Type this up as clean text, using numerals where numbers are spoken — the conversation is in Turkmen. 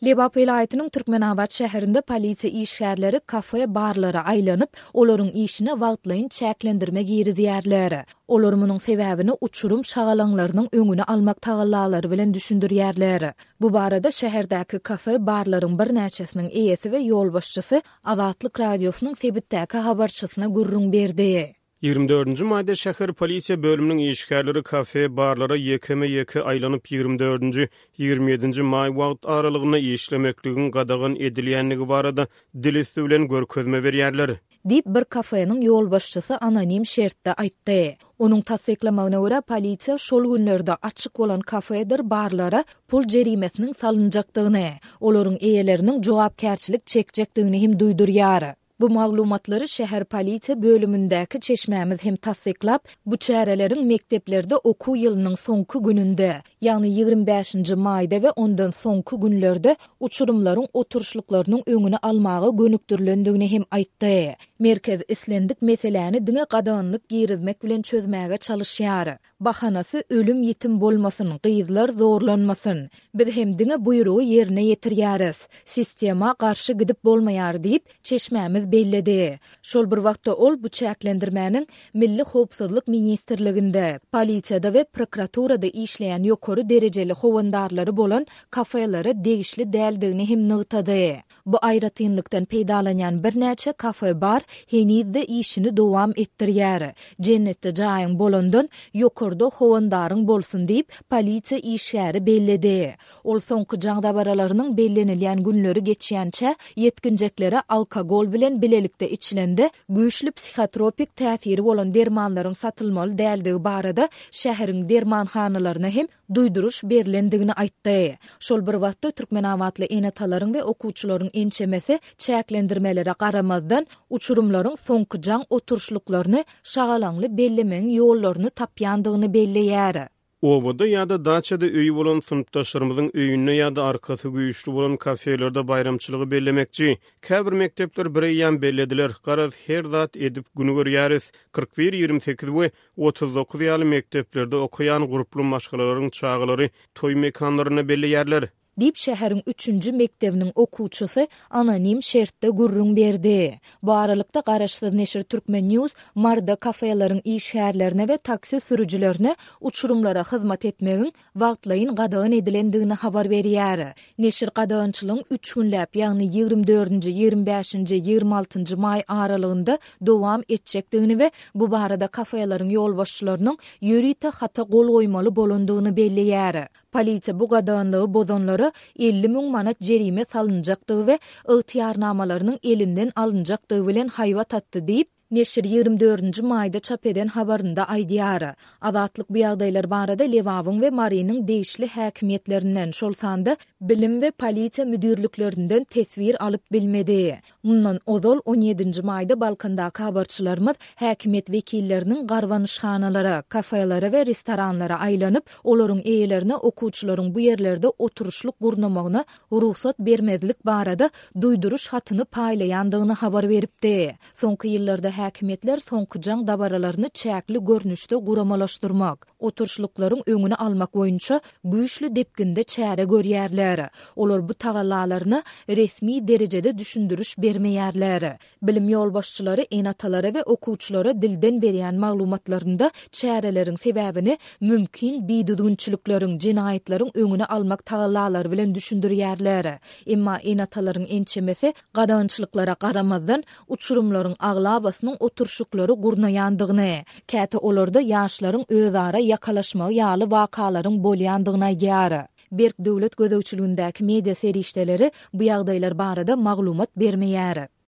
Lebap welaýatynyň Türkmenabat şäherinde polisiýa işgärleri kafe-barlara aýlanyp, olaryň işine wagtlaýyn çäklendirme girizýärler. Olar munuň sebäbini uçurym şagalaňlarynyň öňüni almak tagallalary bilen düşündirýärler. Bu barada şäherdäki kafe-barlaryň birnäçesiniň eýesi we ýolbaşçysy Azatlyk Radiosynyň sebitdäki habarçysyna gürrüň berdi. Ýigrimi dördünji maýda şäher polisiýa bölüminiň işgärleri kafe, barlara ýekeme-ýeke aýlanyp, ýigrimi dördünji, ýigrimi ýedinji maý wagt aralygynda işlemekligiň gadagan edilýändigi barada dil üsti bilen görkezme berýärler. Diýip, bir kafeniň ýolbaşçysy anonim şertde aýtdy. Onuň tassyklamagyna görä, polisiýa şol günlerde açyk bolan kafedir barlara pul jerimesiniň salynjakdygyny, olaryň eýeleriniň jogapkärçilik çekjekdigini hem duýdurýar. Bu maglumatlary şäher polisiýa bölümindäki çeşmämiz hem tassyklap, bu çäreleriň mekdeplerde okuw ýylynyň soňky gününde, ýagny 25 nji maýda we ondan soňky günlerde uçurymlaryň oturyşlyklarynyň öňüni almaga gönükdirilendigini hem aýtdy. Merkez islendik meseläni diňe gadaganlyk girizmek bilen çözmäge çalyşýar. Bahanasy ölüm-ýitim bolmasyn, gyzlar zorlanmasyn. Biz hem diňe buýrugy ýerine ýetirýäris. Sistema garşy gidip bolmaýar diýip, çeşmämiz belledi. Şol bir wagtda ol bu çäklendirmäniň Milli howpsuzlyk ministrliginde, polisiýada we prokuraturada işleýän ýokary derejeli howandarlary bolan kafelere degişli däldigini hem nygtady. Bu aýratynlykdan peýdalanýan birnäçe kafe-bar heniz-de işini dowam etdirýär. Jennetde jaýyň bolandan, ýokarda howandaryň bolsun diýip, polisiýa işgäri belledi. Ol soňky jaň dabaralarynyň bellenilýän günleri geçýänçä, ýetginjeklere alkogol bilen bilelikde içilende, güýçli psihotropik täsiri bolan dermanlaryň satylmaly däldigi barada şäheriň dermanhanalaryna hem duýduryş berlendigini aýtdy. Şol bir wagtda, türkmenabatly ene-atalaryň we okuwçylaryň ençemesi çäklendirmelere garamazdan, uçurymlaryň soňky jaň oturyşlyklaryny şagalaňly bellemegiň ýollaryny tapýandygyny belleýär. Obada ýa-da daçada öýi bolan synpdaşlarymyzyň öýünde ýa-da arkasy güýçli bolan kafelerde baýramçylygy bellemekçi. Käbir mekdepler bireýýäm bellediler. Garaz, her zat edip gün görýäris. 41, 28 we 39 ýaly mekdeplerde okaýan gurply maşgalalaryň çagalary toý mekanlarynda belleýärler. Diýip, şäheriň üçünji mekdebiniň okuwçysy anonim şertde gürrüň berdi. Bu aralykda, garaşsyz neşir Turkmen. News Maryda kafeleriň işgärlerine we taksi sürüjilerine uçurymlara hyzmat etmegiň wagtlaýyn gadagan edilendigini habar berýär. Neşir gadagançylygyň üç günläp, ýagny 24-nji, 25-nji, 26-njy maý aralygynda dowam etjekdigini we bu barada kafeleriň ýolbaşçylarynyň ýörite hata gol goýmaly bolandygyny belleýär. Polisiýa bu gadaganlygy bozanlara 50 müň manat jerime salynjakdygy we ygtyýarnamalarynyň elinden alynjakdygy bilen haýbat atdy diýip, neşir 24-nji maýda çap eden habarynda aýdýar. Azatlyk bu ýagdaýlar barada Lebabyň we Marynyň degişli häkimiýetlerinden, şol sanda bilim we polisiýa müdirliklerinden teswir alyp bilmedi. Mundan ozal, on ýedinji maýda Balkandaky habarçylarymyz häkimiýet wekilleriniň garbanyşhanalara, kafelere we restoranlara aýlanyp, olaryň eýelerine okuwçylaryň bu ýerlerde oturyşlyk gurnamagyna rugsat bermezlik barada duýduryş hatyny paýlaýandygyny habar beripdi. Soňky ýyllarda häkimiýetler soňky jaň dabaralaryny çäkli görnüşde guramalaşdyrmak, oturyşlyklaryň öňüni almak boýunça güýçli depginde çäre görýärler. Olar bu tagallalaryna resmi derejede düşündiriş bermeýärler. Bilim ýolbaşçylary ene-atalara we okuwçylara dilden berýän maglumatlarynda çäreleriň sebäbini mümkin bidüzgünçilikleriň, jenaýatlaryň öňüni almak tagallalary bilen düşündirýärler. Emma ene-atalaryň ençemesi gadagançylyklara garamazdan, uçurymlaryň aglabasynyň oturyşyklary gurnaýandygyny, käte olarda ýaşlaryň özara ýakalaşmagy ýaly wakalaryň bolýandygyny aýdýar. Berk döwlet gözegçiligindäki media serişdeleri bu ýagdaýlar barada maglumat bermeýär.